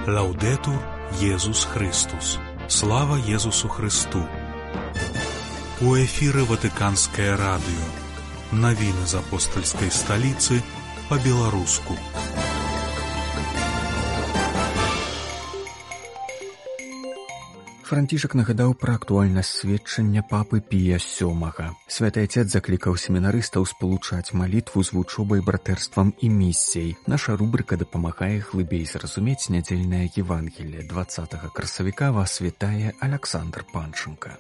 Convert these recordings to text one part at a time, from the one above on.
Лаўдэтур Езус Христус. Слава Езусу Христу. У эфіры Ватыканскае радыё. Навіны з апостальскай сталіцы па-беларуску. Францішак нагадаў пра актуальнасць сведчання папы Пія VII. Святы Отец заклікаў семінарыстаў спалучаць малітву з вучобай, братэрствам і місіяй. Наша рубрика дапамагае глыбей зразумець нядзельнае Евангелие. 20 красавіка вас вітае Александр Панченко.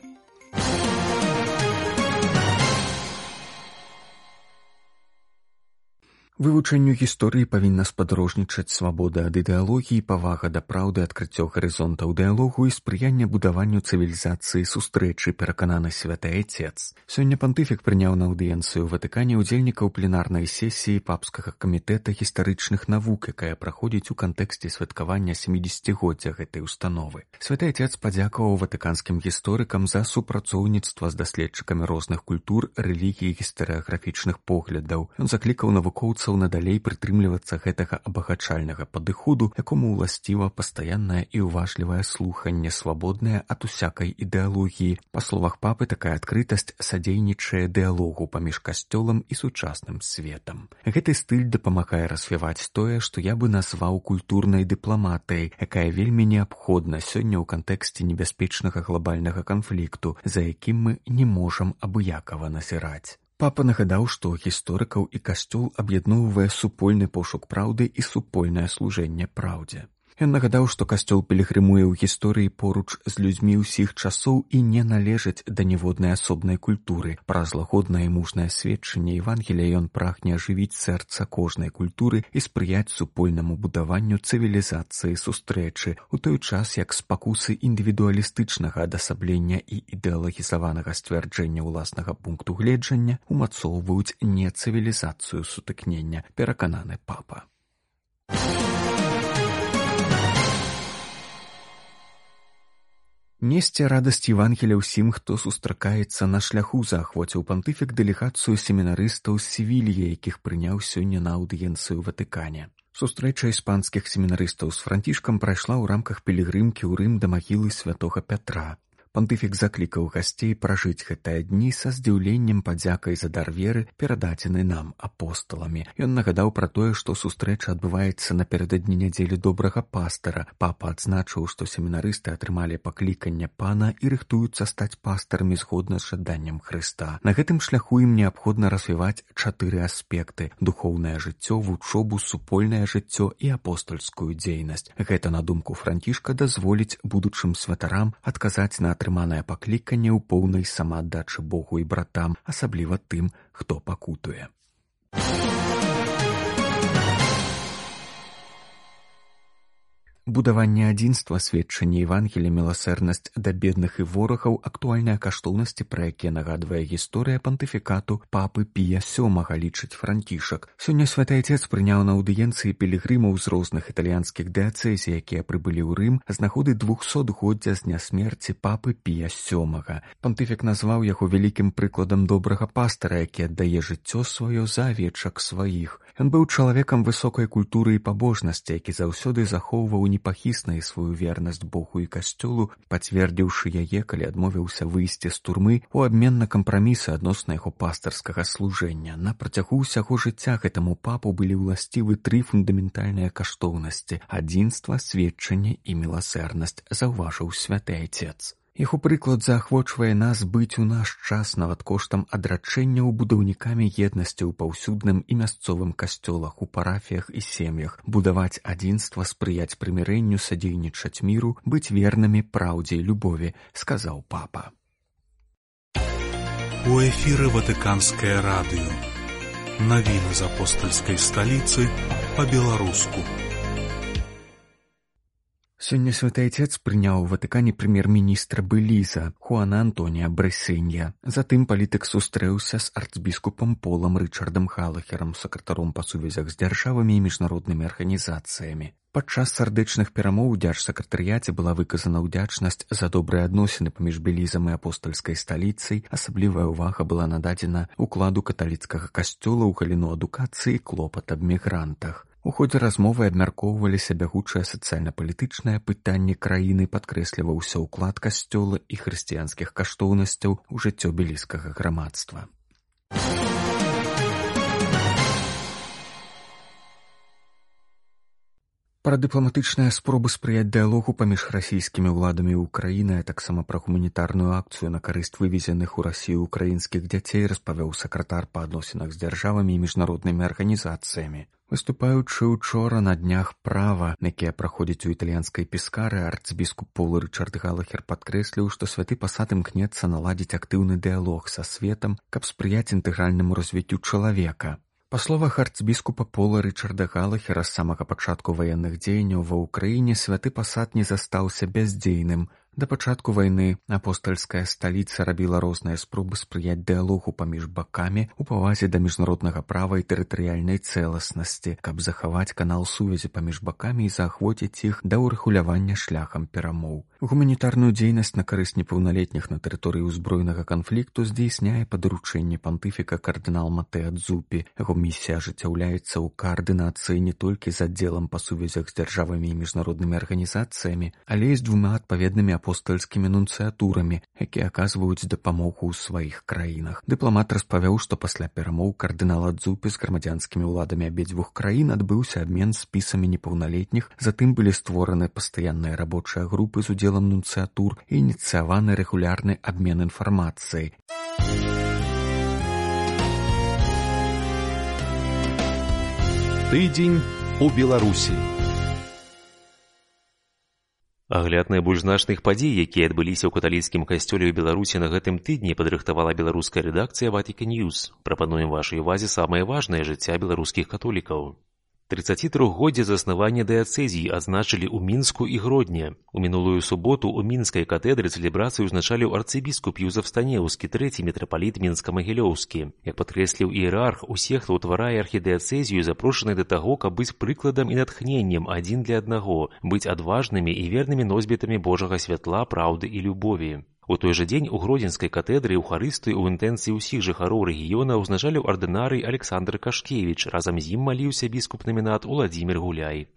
Вывучэнню гісторыі павінна спадарожнічаць свабода ад ідэалогіі, павага да праўды, адкрыццё гарызонтаў дыялогу і спрыянне будаванню цывілізацыі сустрэчы, перакананы святы Отец. Сёння пантыфік прыняў на аўдыенцыю ў Ватыкане удзельнікаў пленарнай сесіі папскага камітэта гістарычных навук, якая праходзіць у кантэксце святкавання 70-годдзя гэтай установы. Святы Отец падзякаваў ватыканскім гісторыкам за супрацоўніцтва з даследчыкамі розных культур, рэлігій і гістарыяграфічных поглядаў. Ён заклікаў навукоўцаў надалей прытрымлівацца гэтага абагачальнага падыходу, якому ўласціва пастаяннае і ўважлівае слуханне, свабоднае ад усякай ідэалогіі. Па словах папы, такая адкрытасць садзейнічае дыялогу паміж касцёлам і сучасным светам. Гэты стыль дапамагае развіваць тое, што я бы назваў культурнай дыпламатыяй, якая вельмі неабходна сёння ў кантэксце небяспечнага глобальнага канфлікту, за якім мы не можам абыякава назіраць. Папа нагадаў, што гісторыкаў і касцёл аб'ядноўвае супольны пошук праўды і супольнае служэнне праўдзе. Ён нагадаў, што касцёл пілігрымуе ў гісторыі поруч з людзьмі ўсіх часоў і не належыць да ніводнай асобнай культуры. Праз лагоднае і мужнае сведчанне Евангелія ён прагне ажывіць сэрца кожнай культуры і спрыяць супольнаму будаванню цывілізацыі сустрэчы, у той час як спакусы індывідуалістычнага адасаблення і ідэалагізаванага сцвярджэння ўласнага пункту гледжання умацоўваюць не цывілізацыю сутыкнення, перакананы папа. Несці радасць Евангелія ўсім, хто сустракаецца на шляху, заахвоціў пантыфік дэлегацыю семінарыстаў з Севільі, якіх прыняў сёння на аўдыенцыю ў Ватыкане. Сустрэча іспанскіх семінарыстаў з Францішкам прайшла ў рамках пілігрымкі ў Рым да магілы святога Пятра. Пантыфік заклікаў гасцей пражыць гэтыя дні са здзіўленнем, падзякай за дар веры, перададзены нам апосталамі. Ён нагадаў пра тое, што сустрэча адбываецца напярэдадні нядзелі добрага пастара. Папа адзначыў, што семінарысты атрымалі пакліканне пана і рыхтуюцца стаць пастарамі згодна з жаданнем Хрыста. На гэтым шляху ім неабходна развіваць 4 аспекты: духоўнае жыццё, вучобу, супольнае жыццё і апостальскую дзейнасць. Гэта, на думку Францішка, дазволіць будучым святарам адказаць на атрыманае пакліканне ў поўнай самааддачы Богу і братам, асабліва тым, хто пакутуе. Будаванне адзінства, сведчанне Евангелія, міласэрнасць да бедных і ворагаў, актуальныя каштоўнасці, пра якія нагадвае гісторыя пантыфікату папы Пія VII, лічыць Францішак. Сёння святы Отец прыняў на аўдыенцыі пілігрымаў з розных італьянскіх дыяцэзій, якія прыбылі ў Рым з нагоды 200-годдзя з дня смерці папы Пія VII. Пантыфік назваў яго вялікім прыкладам добрага пастара, які аддае жыццё сваё за авечак сваіх. Ён быў чалавекам высокай культуры і пабожнасці, які заўсёды захоўваў непахіснай сваю вернасць Богу і касцёлу, пацвердзіўшы яе, калі адмовіўся выйсці з турмы у абмен на кампрамісы адносна яго пастарскага служэння. На працягу ўсяго жыцця гэтаму папу былі ўласцівы 3 фундаментальныя каштоўнасці: адзінства, сведчанне і міласэрнасць, заўважыў святы Отец. Яго прыклад заахвочвае нас быць у наш час нават коштам адрачэнняў будаўнікамі еднасці ў паўсюдным і мясцовым касцёлах, у парафіях і сем'ях, будаваць адзінства, спрыяць прымірэнню, садзейнічаць міру, быць вернымі праўдзе і любові, сказаў папа. У эфіры Ватыканскае радыё. Навіны з апостальскай сталіцы па-беларуску. Сёння святы Отец прыняў у Ватыкане прэм'ер-міністра Беліза Хуана Антонія Брэсенья. Затым палітык сустрэўся з арцбіскупам Полам Рычардам Галахерам, сакратаром па сувязях з дзяржавамі і міжнароднымі арганізацыямі. Падчас сардэчных перамоў у дзяржсакратарыяце была выказана ўдзячнасць за добрыя адносіны паміж Белізам і апостальскай сталіцай. Асаблівая ўвага была нададзена ўкладу каталіцкага касцёла ў галіну адукацыі і клопат аб мігрантах. У ходзе размовы абмяркоўваліся бягучыя сацыяльна-палітычныя пытанні краіны, падкрэсліваўся ўклад касцёла і хрысціянскіх каштоўнасцяў у жыццё белізскага грамадства. Пра дыпламатычныя спробы спрыяць дыялогу паміж расійскімі ўладамі і Украінай, а таксама пра гуманітарную акцыю на карысць вывезеных у Расію украінскіх дзяцей распавёў сакратар па адносінах з дзяржавамі і міжнароднымі арганізацыямі. Выступаючы учора на днях права, якія праходзяць у італьянскай пескары, арцбіскуп Пол Рычард Галахер падкрэсліў, што святы пасад імкнецца наладзіць актыўны дыялог са светам, каб спрыяць інтэгральнаму развіццю чалавека. Па словах арцбіскупа Пола Рычарда Галахера, з самага пачатку ваенных дзеянняў ва ўкраіне святы пасад не застаўся бяздзейным. Да пачатку вайны апостальская сталіца рабіла розныя спробы спрыяць дыялогу паміж бакамі у павазе да міжнароднага права і тэрытарыяльнай цэласнасці, каб захаваць канал сувязі паміж бакамі і заахвоціць іх да ўрэгулявання шляхам перамоў. Гуманітарную дзейнасць на карысць непаўналетніх на тэрыторыі ўзброенага канфлікту здзейсняе па даручэнні пантыфіка кардынал Матэа Дзупі. Яго місія ажыццяўляецца ў каардынацыі не толькі з аддзелам па сувязях з дзяржавамі і міжнароднымі арганізацыямі, але і з двума адпаведнымі апостальскімі нунцыятурамі, якія аказваюць дапамогу ў сваіх краінах. Дыпламат распавёў, што пасля перамоў кардынала Дзупі з грамадзянскімі ўладамі абедзвюх краін адбыўся абмен спісамі непаўналетніх, затым былі створаны пастаянныя рабочыя групы з удзелам нунцыятур і ініцыяваны рэгулярны абмен інфармацыяй. Тыдзень у Беларусі. Агляд найбольш значных падзей, якія адбыліся ў каталіцкім касцёле ў Беларусі на гэтым тыдні, падрыхтавала беларуская рэдакцыя Vatican News. Прапануем вашай увазе самае важнае жыцця беларускіх католікаў. 33-годдзе заснавання дыяцэзій адзначылі ў Мінску і Гродні. У мінулую суботу ў мінскай катэдры цэлебрацыю ўзначаліў арцыбіскуп Юзаф Станеўскі, трэці мітрапаліт мінска-магілёўскі. Як падкрэсліў іерарх, усе, хто ўтварае архідыяцэзію, запрошаны да таго, каб быць прыкладам і натхненнем адзін для аднаго, быць адважнымі і вернымі носьбітамі Божага святла, праўды і любові. У той жа дзень у Гродзенскай катэдры Еўхарыстыю ў інтэнцыі ўсіх жыхароў рэгіёна ўзначаліў ардынарый Александр Кашкевіч, разам з ім маліўся біскуп-намінат Уладзімір Гуляй.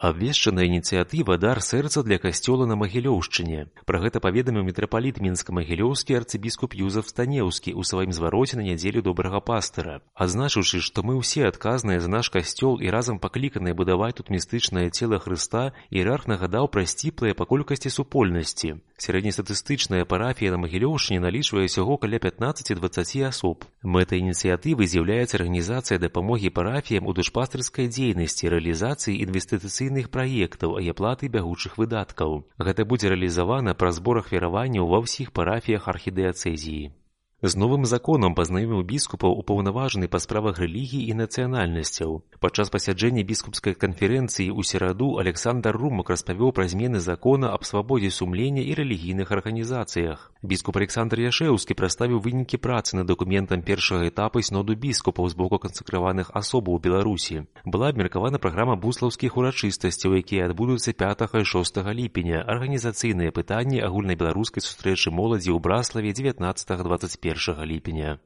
Абвешчана ініцыятыва «Дар сэрца для касцёла на Магілёўшчыне». Пра гэта паведаміў мітрапаліт мінска-магілёўскі арцыбіскуп Юзаф Станеўскі ў сваім звароце на нядзелю добрага пастыра. Адзначыўшы, што мы ўсе адказныя за наш касцёл і разам пакліканыя будаваць тут містычнае цела Хрыста, іерарх нагадаў пра сціплыя па колькасці супольнасці. Сярэднестатыстычная парафія на Магілёўшчыне налічвае ўсяго каля 15-20 асоб. Мэтай ініцыятывы з'яўляецца арганізацыя дапамогі парафіям у душпастырскай дзейнасці, рэалізацыі інвестыцыйных праектаў і аплаты бягучых выдаткаў. Гэта будзе рэалізавана праз збор ахвяраванняў ва ўсіх парафіях архідыяцэзіі. З новым законам пазнаёміў біскупаў упаўнаважаны па справах рэлігіі і нацыянальнасцяў. Падчас пасяджэння біскупскай канферэнцыі ў сераду Александр Румак распавёў пра змены закона аб свабодзе сумлення і рэлігійных арганізацыях. Біскуп Александр Яшэўскі прадставіў вынікі працы над дакументам першага этапу сноду біскупаў з боку кансакраваных асобаў у Беларусі. Была абмеркавана праграма буслаўскіх урачыстасцяў, якія адбудуцца 5 і 6 ліпеня, арганізацыйныя пытанні агульнабеларускай сустрэчы моладзі ў Браславе 19-21 ліпеня.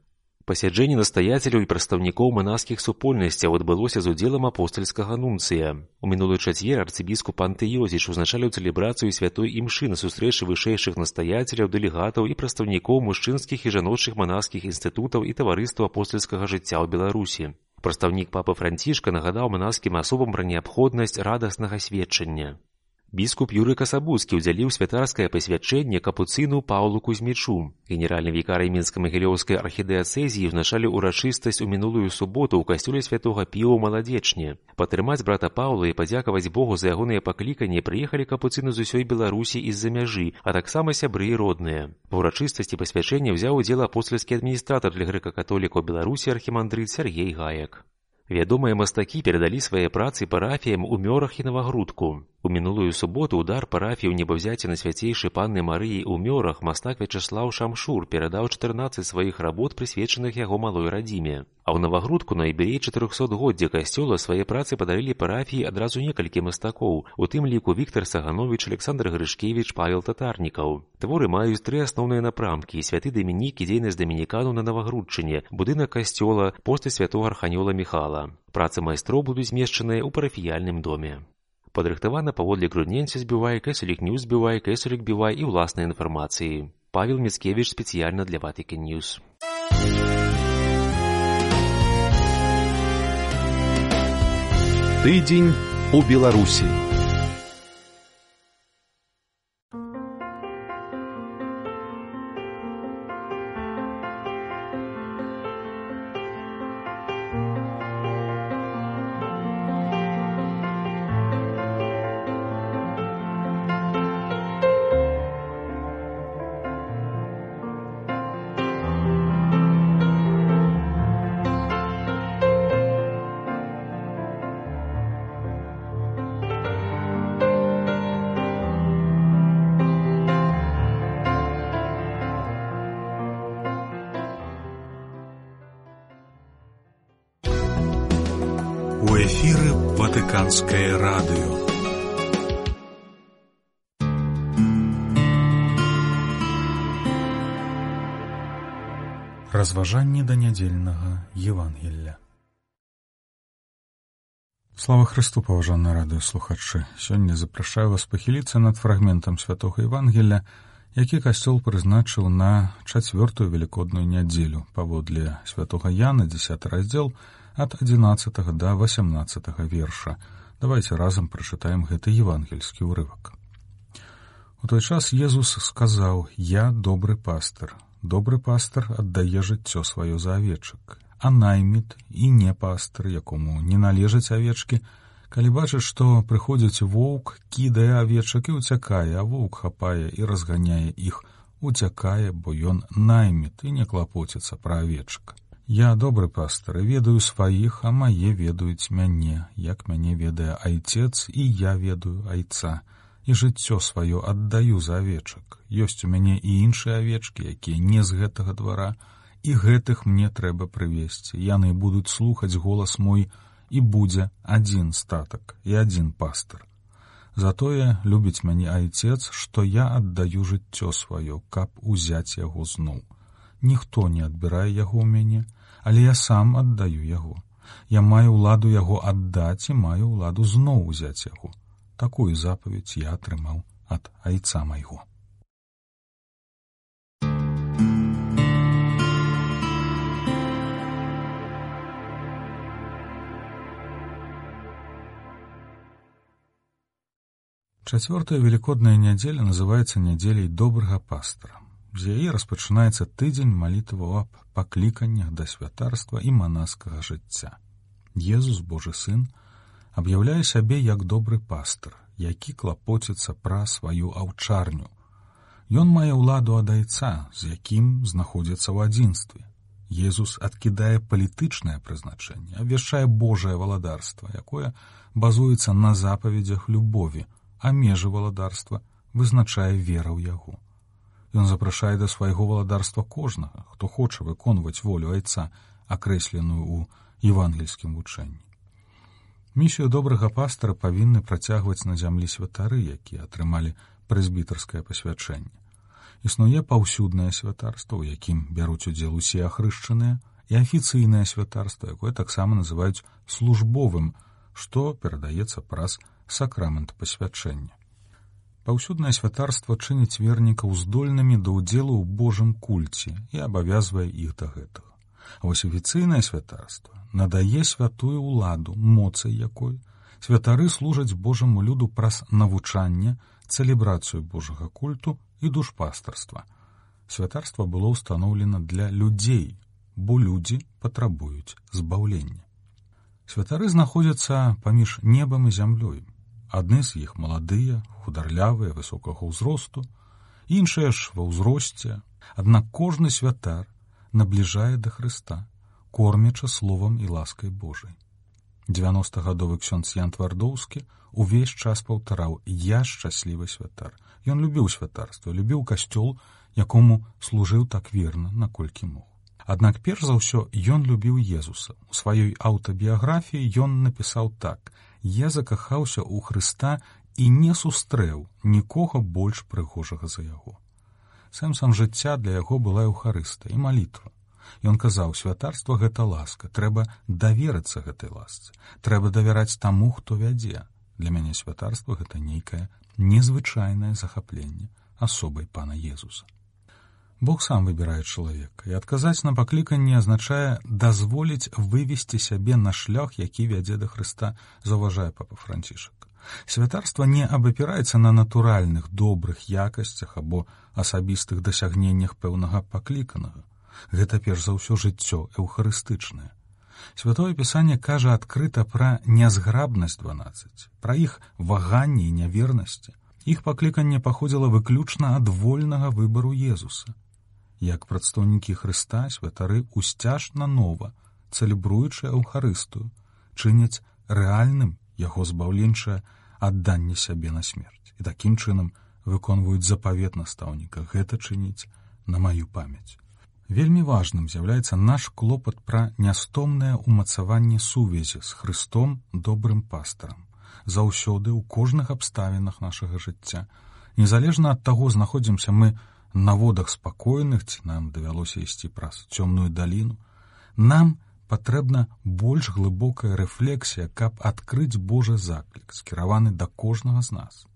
Пасяджэнне настаяцеляў і прадстаўнікоў манаскіх супольнасцяў адбылося з удзелам апостальскага нунцыя. У мінулы чацвер арцыбіскуп Антыёзіч узначаліў цэлебрацыю святой імшы на сустрэчы вышэйшых настаяцеляў, дэлегатаў і прадстаўнікоў мужчынскіх і жаночых манаскіх інстытутаў і таварыства апостальскага жыцця ў Беларусі. Прадстаўнік папы Францішка нагадаў манаскім асобам пра неабходнасць радаснага сведчання. Біскуп Юрый Касабуцкі ўдзяліў святарскае пасвячэнне капуцыну Паўлу Кузьмічу. Генеральны вікарый мінска-магілёўскай архідыяцэзіі ўзначаліў урачыстасць у мінулую суботу ў касцёле святога Піа ў Маладзечні. Падтрымаць брата Паўла і падзякаваць Богу за ягоныя пакліканні прыехалі капуцыны з усёй Беларусі і з-за мяжы, а таксама сябры і родныя. Ва ўрачыстасці пасвячэння ўзяў удзел апостальскі адміністратар для грэка-католікаў Беларусі архімандрыт Сяргей Гаек. Вядомыя мастакі перадалі свае працы парафіям у Мёрах і Навагрудку. У У мінулую суботу ў дар парафіі ў небаўзяцці на свяцейшай панны Марыі ў Мёрах мастак Вячаслаў Шамшур перадаў 14 сваіх работ, прысвечаных яго малой радзіме. А ў Навагрудку на юбілей 400-годдзя касцёла свае працы падарылі парафіі адразу некалькі мастакоў, у тым ліку Віктар Сагановіч, Александр Грышкевіч, Павел Татарнікаў. Творы маюць 3 асноўныя напрамкі: святы Дамінік і дзейнасць дамініканаў на Навагрудчыне, будынак касцёла, постаць святога арханёла Міхала. Працы майстроў будуць змешчаныя ў парафіяльным доме. Падрыхтавана паводле Грудненсіс Бівай, Кесарік Ньюс Бівай, Кесарік Бівай і ўласнай інфармацыі. Павел Міцкевіч спецыяльна для Vatican News. Тыдзень у Беларусі. У эфіры Ватыканскае радыё. Разважанні да нядзельнага Евангелля. Слава Христу, паважаныя радыёслухачы! Сёння запрашаю вас пахіліцца над фрагментам святога Евангелля, які касцёл прызначыў на 4-ю велікодную нядзелю паводле святога Яна, 10 раздзел, ад 11 да 18 верша. Давайте разам прачытаем гэты евангельскі ўрывак. У той час Езус сказаў: «Я добры пастыр. Добры пастыр аддае жыццё сваё за авечак. А найміт і не пастыр, якому не належаць авечкі, калі бачыць, што прыходзіць воўк, кідае авечак і ўцякае, а воўк хапае і разганяе іх, уцякае, бо ён найміт і не клапоціцца пра авечак. Я добры пастыр, ведаю сваіх, а мае ведаюць мяне, як мяне ведае айцец, і я ведаю айца, і жыццё сваё аддаю за авечак. Ёсць у мяне і іншыя авечкі, якія не з гэтага двара, і гэтых мне трэба прывесці. Яны будуць слухаць голас мой, і будзе адзін статак і адзін пастыр. Затое любіць мяне айцец, што я аддаю жыццё сваё, каб узяць яго зноў. Ніхто не адбірае яго ў мяне, але я сам аддаю яго. Я маю ўладу яго аддаць і маю ўладу зноў узяць яго. Такую запаведь я атрымаў ад айца майго». Чацвёртая велікодная нядзеля называецца нядзеляй добрага пастыра. З яе распачынаецца тыдзень малітваў аб пакліканнях да святарства і манаскага жыцця. Езус, Божы сын, аб'яўляе сябе як добры пастыр, які клапоціцца пра сваю аўчарню. Ён мае ўладу ад айца, з якім знаходзіцца ў адзінстве. Езус адкідае палітычнае прызначэнне, абвяшчае Божае валадарства, якое базуецца на запаведзях любові, а межы валадарства вызначае вера ў яго. Ён запрашае да свайго валадарства кожнага, хто хоча выконваць волю айца, акрэсленую ў евангельскім вучэнні. Місію добрага пастыра павінны працягваць на зямлі святары, якія атрымалі прэзбітарскае пасвячэнне. Існуе паўсюднае святарства, у якім бяруць удзел усе ахрышчаныя, і афіцыйнае святарства, якое таксама называюць службовым, што перадаецца праз сакрамент пасвячэння. Паўсюднае святарства чыніць вернікаў здольнымі да ўдзелу ў Божым кульце і абавязвае іх да гэтага. А вось афіцыйнае святарства надае святую ўладу, моцай якой святары служаць Божаму люду праз навучанне, цэлебрацыю Божага культу і душпастарства. Святарства было ўстаноўлена для людзей, бо людзі патрабуюць збаўлення. Святары знаходзяцца паміж небам і зямлёй. Адны з іх маладыя, хударлявыя, высокага ўзросту, іншыя ж ва ўзросце. Аднак кожны святар набліжае да Хрыста, кормячы словам і ласкай Божай. 90-гадовы ксёндз Ян Твардоўскі увесь час паўтараў: «Я шчаслівы святар». Ён любіў святарства, любіў касцёл, якому служыў так верна, наколькі мог. Аднак перш за ўсё ён любіў Езуса. У сваёй аўтабіяграфіі ён напісаў так: «Я закахаўся ў Хрыста і не сустрэў нікога больш прыгожага за яго». Сэнсам жыцця для яго была Еўхарыстыя і малітва. Ён казаў: «Святарства — гэта ласка, трэба даверыцца гэтай ласцы, трэба давяраць таму, хто вядзе. Для мяне святарства — гэта нейкае незвычайнае захапленне асобай Пана Езуса». Бог сам выбірае чалавека, і адказаць на пакліканне азначае дазволіць вывесці сябе на шлях, які вядзе да Хрыста, заўважае папа Францішак. Святарства не абапіраецца на натуральных, добрых якасцях або асабістых дасягненнях пэўнага пакліканага. Гэта перш за ўсё жыццё эўхарыстычнае. Святое Пісанне кажа адкрыта пра нязграбнасць 12, пра іх ваганні і нявернасці. Іх пакліканне паходзіла выключна ад вольнага выбару Езуса. Як прадстаўнікі Хрыста, святары усцяжна нова, цэлебруючы Еўхарыстыю, чыняць рэальным яго збаўленчае адданне сябе на смерць. І такім чынам выконваюць запавет настаўніка: «Гэта чыніць на маю памяць». Вельмі важным з'яўляецца наш клопат пра нястомнае ўмацаванне сувязі з Хрыстом, добрым пастарам, заўсёды ў кожных абставінах нашага жыцця. Незалежна ад таго, знаходзімся мы на водах спакойных, ці нам давялося ісці праз цёмную даліну, нам патрэбна больш глыбокая рэфлексія, каб адкрыць Божы заклік, скіраваны да кожнага з нас.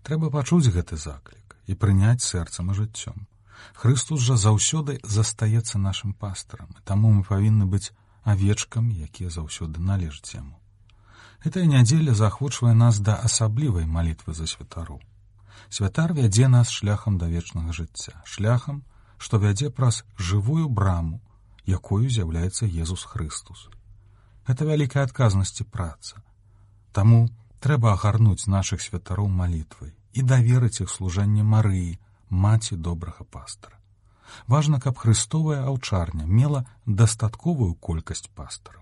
Трэба пачуць гэты заклік і прыняць сэрцам і жыццём. Хрыстус жа заўсёды застаецца нашым пастарам, і таму мы павінны быць авечкамі, якія заўсёды належаць яму. Гэтая нядзеля заахвочвае нас да асаблівай малітвы за святароў. Святар вядзе нас шляхам да вечнага жыцця, шляхам, што вядзе праз жывую браму, якою з'яўляецца Езус Хрыстус. Гэта вялікая адказнасць і праца. Таму трэба агарнуць нашых святароў малітвай і даверыць іх служэнне Марыі, маці добрага пастара. Важна, каб хрыстовая аўчарня мела дастатковую колькасць пастараў.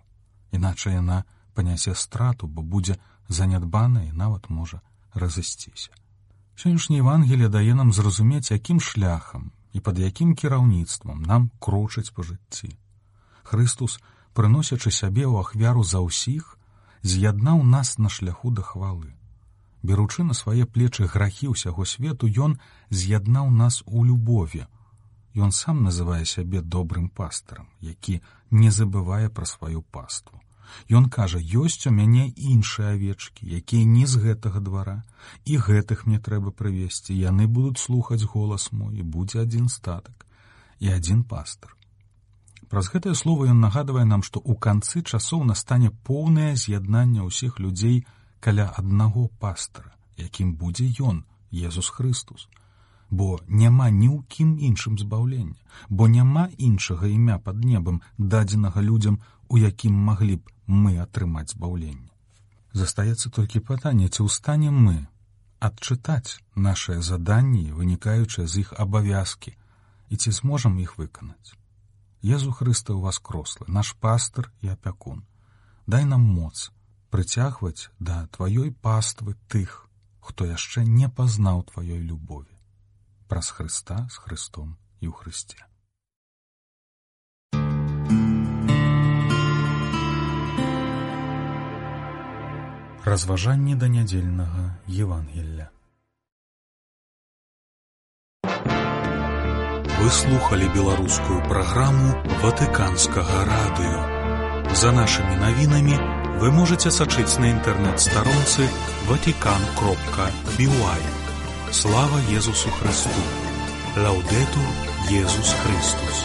Іначай яна панясе страту, бо будзе занядбана і нават можа разысціся. Сённяшняе Евангелие дае нам зразумець, якім шляхам і пад якім кіраўніцтвам нам крочыць па жыцці. Хрыстус, прыносячы сябе ў ахвяру за ўсіх, з'яднаў нас на шляху да хвалы. Беручы на свае плечы грахі ўсяго свету, ён з'яднаў нас у любові. Ён сам называе сябе добрым пастарам, які не забывае пра сваю паству. Ён кажа: «Ёсць у мяне іншыя авечкі, якія не з гэтага двара, і гэтых мне трэба прывесці, яны будуць слухаць голас мой, і будзе адзін статак і адзін пастар». Праз гэтае слово ён нагадвае нам, што ў канцы часоў настане поўнае з'яднанне ўсіх людзей каля аднаго пастара, якім будзе ён, Езус Хрыстус. Бо няма ні ў кім іншым збаўлення, бо няма іншага імя пад небам, дадзенага людзям, у якім маглі б мы атрымаць збаўленне. Застаецца толькі пытанне, ці ў стане мы адчытаць нашыя заданні, вынікаючыя з іх абавязкі, і ці зможам іх выканаць. Езу Хрыста ўваскрослы, наш пастар і апякун. Дай нам моц прыцягваць да тваёй паствы тых, хто яшчэ не пазнаў тваёй любові. Праз Хрыста, з Хрыстом і ў Хрысце. Разважанні да нядзельнага Евангелля. Вы слухали беларускую праграму Ватыканскага радыё. За нашымі навінамі вы можете сачыць на інтэрнэт-старонцы vatican.by. Слава Езусу Христу! Лаудетур Езус Христус!